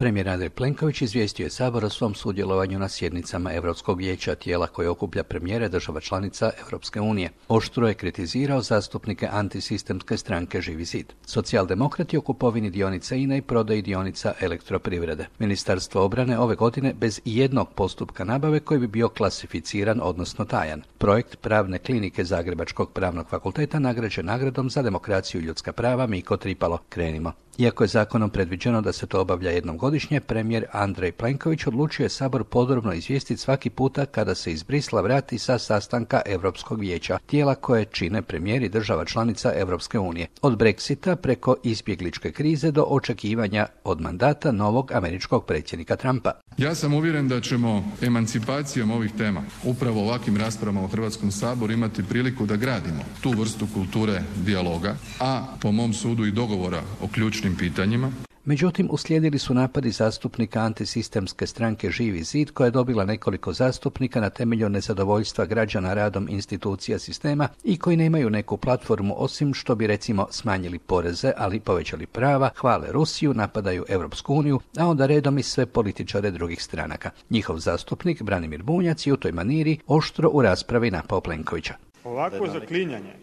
Premijer Andrej Plenković izvijestio je Sabor o svom sudjelovanju na sjednicama Europskog vijeća, tijela koje okuplja premijere država članica Europske unije. Oštro je kritizirao zastupnike antisistemske stranke Živi zid. Socijaldemokrati o kupovini dionica INA i prodaji dionica Elektroprivrede. Ministarstvo obrane ove godine bez jednog postupka nabave koji bi bio klasificiran, odnosno tajan. Projekt Pravne klinike Zagrebačkog pravnog fakulteta nagrađen nagradom za demokraciju i ljudska prava Miko Tripalo. Krenimo. Iako je zakonom predviđeno da se to obavlja jednom godišnje, premijer Andrej Plenković odlučio je Sabor podrobno izvijestiti svaki puta kada se iz Brisla vrati sa sastanka Europskog vijeća, tijela koje čine premijeri država članica Europske unije. Od Brexita preko izbjegličke krize do očekivanja od mandata novog američkog predsjednika Trumpa. Ja sam uvjeren da ćemo emancipacijom ovih tema, upravo ovakvim raspravama u Hrvatskom saboru, imati priliku da gradimo tu vrstu kulture dijaloga, a po mom sudu i dogovora o ključnim pitanjima. Međutim, uslijedili su napadi zastupnika antisistemske stranke Živi zid, koja je dobila nekoliko zastupnika na temelju nezadovoljstva građana radom institucija sistema i koji nemaju neku platformu osim što bi recimo smanjili poreze, ali povećali prava, hvale Rusiju, napadaju Europsku uniju, a onda redom i sve političare drugih stranaka. Njihov zastupnik Branimir Bunjac je u toj maniri oštro u raspravi napao Plenkovića. Ovako zaklinjanje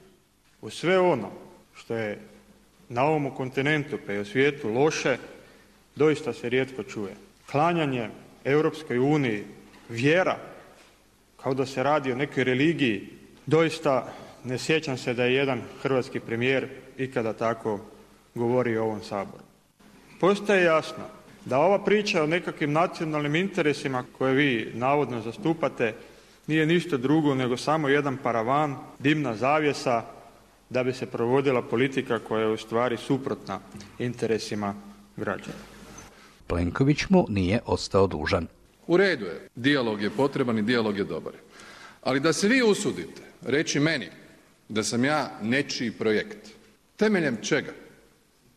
u sve ono što je na ovom kontinentu pa i u svijetu loše, doista se rijetko čuje. Klanjanje Europskoj uniji, vjera, kao da se radi o nekoj religiji, doista ne sjećam se da je jedan hrvatski premijer ikada tako govorio u ovom Saboru. Postaje jasno da ova priča o nekakvim nacionalnim interesima koje vi navodno zastupate nije ništa drugo nego samo jedan paravan, dimna zavjesa, da bi se provodila politika koja je u stvari suprotna interesima građana. Plenković mu nije ostao dužan. U redu je, dijalog je potreban i dijalog je dobar. Ali da se vi usudite reći meni da sam ja nečiji projekt, temeljem čega?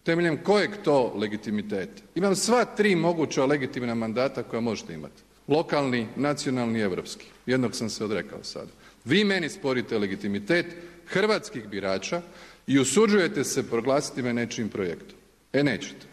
Temeljem kojeg to legitimiteta? Imam sva 3 moguća legitimna mandata koja možete imati. Lokalni, nacionalni i europski. Jednog sam se odrekao sada. Vi meni sporite legitimitet hrvatskih birača i usuđujete se proglasiti me nečijim projektom. Nećete.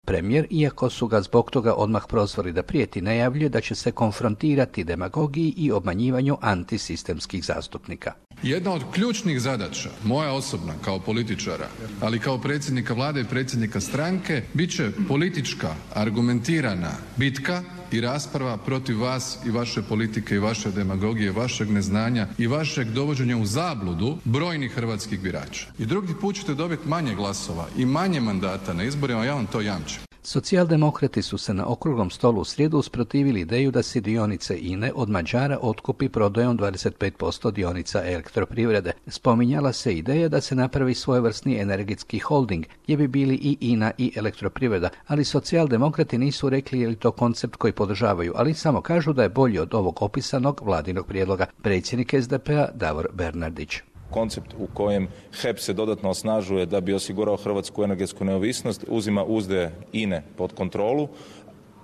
Premijer, iako su ga zbog toga odmah prozvali da prijeti, najavljuje da će se konfrontirati demagogiji i obmanjivanju antisistemskih zastupnika. Jedna od ključnih zadaća, moja osobna kao političara, ali kao predsjednika vlade i predsjednika stranke, bit će politička, argumentirana bitka i rasprava protiv vas i vaše politike i vaše demagogije, vašeg neznanja i vašeg dovođenja u zabludu brojnih hrvatskih birača. I drugi put ćete dobiti manje glasova i manje mandata na izborima, ja vam to jamčim. Socijaldemokrati su se na okruglom stolu u srijedu usprotivili ideju da se dionice INA od Mađara otkupi prodajom 25% dionica Elektroprivrede. Spominjala se ideja da se napravi svojevrsni energetski holding, gdje bi bili i INA i Elektroprivreda, ali socijaldemokrati nisu rekli je li to koncept koji podržavaju, ali samo kažu da je bolji od ovog opisanog vladinog prijedloga. Predsjednik SDP-a Davor Bernardić. Koncept u kojem HEP se dodatno osnažuje da bi osigurao hrvatsku energetsku neovisnost, uzima uzde INA pod kontrolu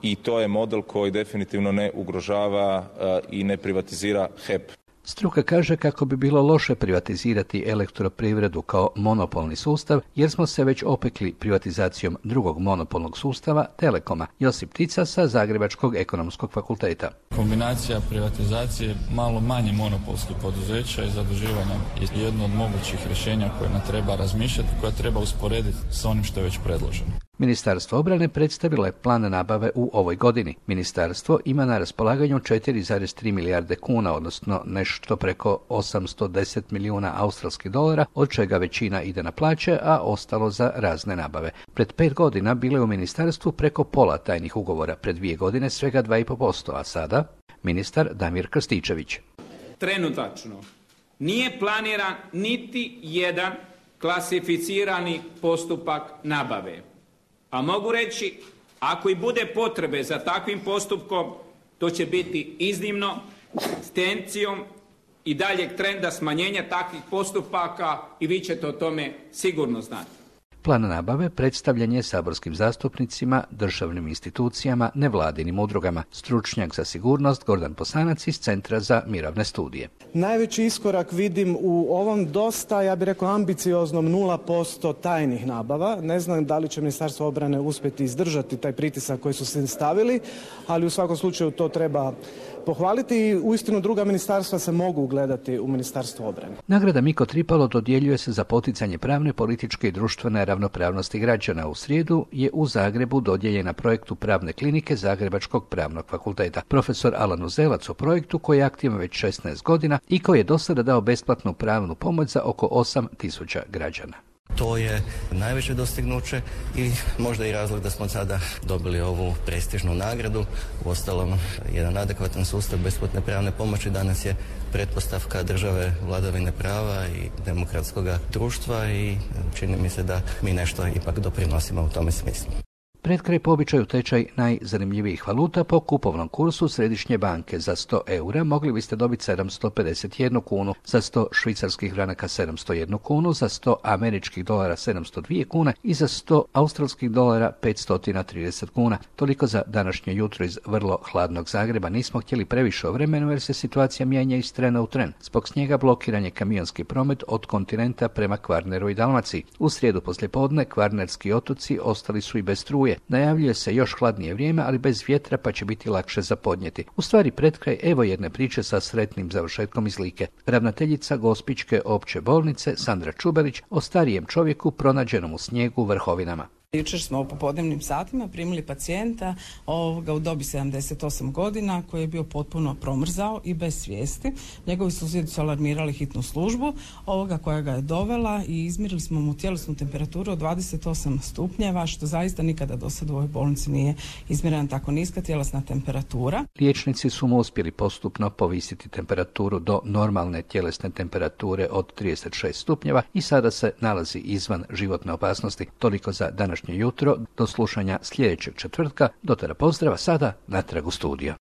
i to je model koji definitivno ne ugrožava i ne privatizira HEP. Struka kaže kako bi bilo loše privatizirati Elektroprivredu kao monopolni sustav, jer smo se već opekli privatizacijom drugog monopolnog sustava, Telekoma. Josip Tica sa Zagrebačkog ekonomskog fakulteta. Kombinacija privatizacije malo manje monopolskih poduzeća i zaduživanja je jedno od mogućih rješenja koje nam treba razmišljati, koje treba usporediti s onim što je već predloženo. Ministarstvo obrane predstavilo je plan nabave u ovoj godini. Ministarstvo ima na raspolaganju 4,3 milijarde kuna, odnosno nešto preko 810 milijuna australskih dolara, od čega većina ide na plaće, a ostalo za razne nabave. Pred 5 godina bilo je u ministarstvu preko pola tajnih ugovora, pred 2 godine svega 2,5%, a sada ministar Damir Krstičević. Trenutačno nije planiran niti jedan klasificirani postupak nabave. A mogu reći, ako i bude potrebe za takvim postupkom, to će biti iznimno s tendencijom i daljeg trenda smanjenja takvih postupaka i vi ćete o tome sigurno znati. Plan nabave predstavljen je saborskim zastupnicima, državnim institucijama, nevladinim udrugama. Stručnjak za sigurnost Gordan Posanac iz Centra za mirovne studije. Najveći iskorak vidim u ovom dosta, ja bih rekao, ambicioznom 0% tajnih nabava. Ne znam da li će Ministarstvo obrane uspjeti izdržati taj pritisak koji su se stavili, ali u svakom slučaju to treba pohvaliti i uistinu druga ministarstva se mogu ugledati u Ministarstvo obrane. Nagrada Miko Tripalo dodjeljuje se za poticanje pravne, političke i društvene ravnopravnosti građana. U srijedu je u Zagrebu dodijeljena projektu Pravne klinike Zagrebačkog pravnog fakulteta. Profesor Alan Uzelac o projektu koji je aktivan već 16 godina i koji je do sada dao besplatnu pravnu pomoć za oko 8.000 građana. To je najveće dostignuće i možda i razlog da smo sada dobili ovu prestižnu nagradu. Uostalom, jedan adekvatan sustav besplatne pravne pomoći danas je pretpostavka države, vladavine prava i demokratskog društva i čini mi se da mi nešto ipak doprinosimo u tome smislu. Pred kraj po običaju tečaj najzanimljivijih valuta po kupovnom kursu Središnje banke. Za 100 eura mogli biste dobiti 751 kunu, za 100 švicarskih franaka 701 kunu, za 100 američkih dolara 702 kune i za 100 australskih dolara 530 kuna. Toliko za današnje jutro iz vrlo hladnog Zagreba. Nismo htjeli previše o vremenu jer se situacija mijenja iz trena u tren. Zbog snijega blokiran je kamionski promet od kontinenta prema Kvarneru i Dalmaciji. U srijedu poslijepodne Kvarnerski otoci ostali su i bez struje. Najavljuje se još hladnije vrijeme, ali bez vjetra pa će biti lakše za podnijeti. U stvari pred kraj evo jedne priče sa sretnim završetkom iz Like. Ravnateljica Gospićke opće bolnice Sandra Čubelić o starijem čovjeku pronađenom u snijegu u Vrhovinama. Jučer smo u popodnevnim satima primili pacijenta u dobi 78 godina koji je bio potpuno promrzao i bez svijesti. Njegovi susjedi su alarmirali hitnu službu koja ga je dovela i izmjerili smo mu tjelesnu temperaturu od 28 stupnjeva, što zaista nikada do sada u ovoj bolnici nije izmjerena tako niska tjelesna temperatura. Liječnici su mu uspjeli postupno povisiti temperaturu do normalne tjelesne temperature od 36 stupnjeva i sada se nalazi izvan životne opasnosti. Toliko za današnje jutro, do slušanja sljedećeg četvrtka. Do tada pozdrava, sada natrag u studio.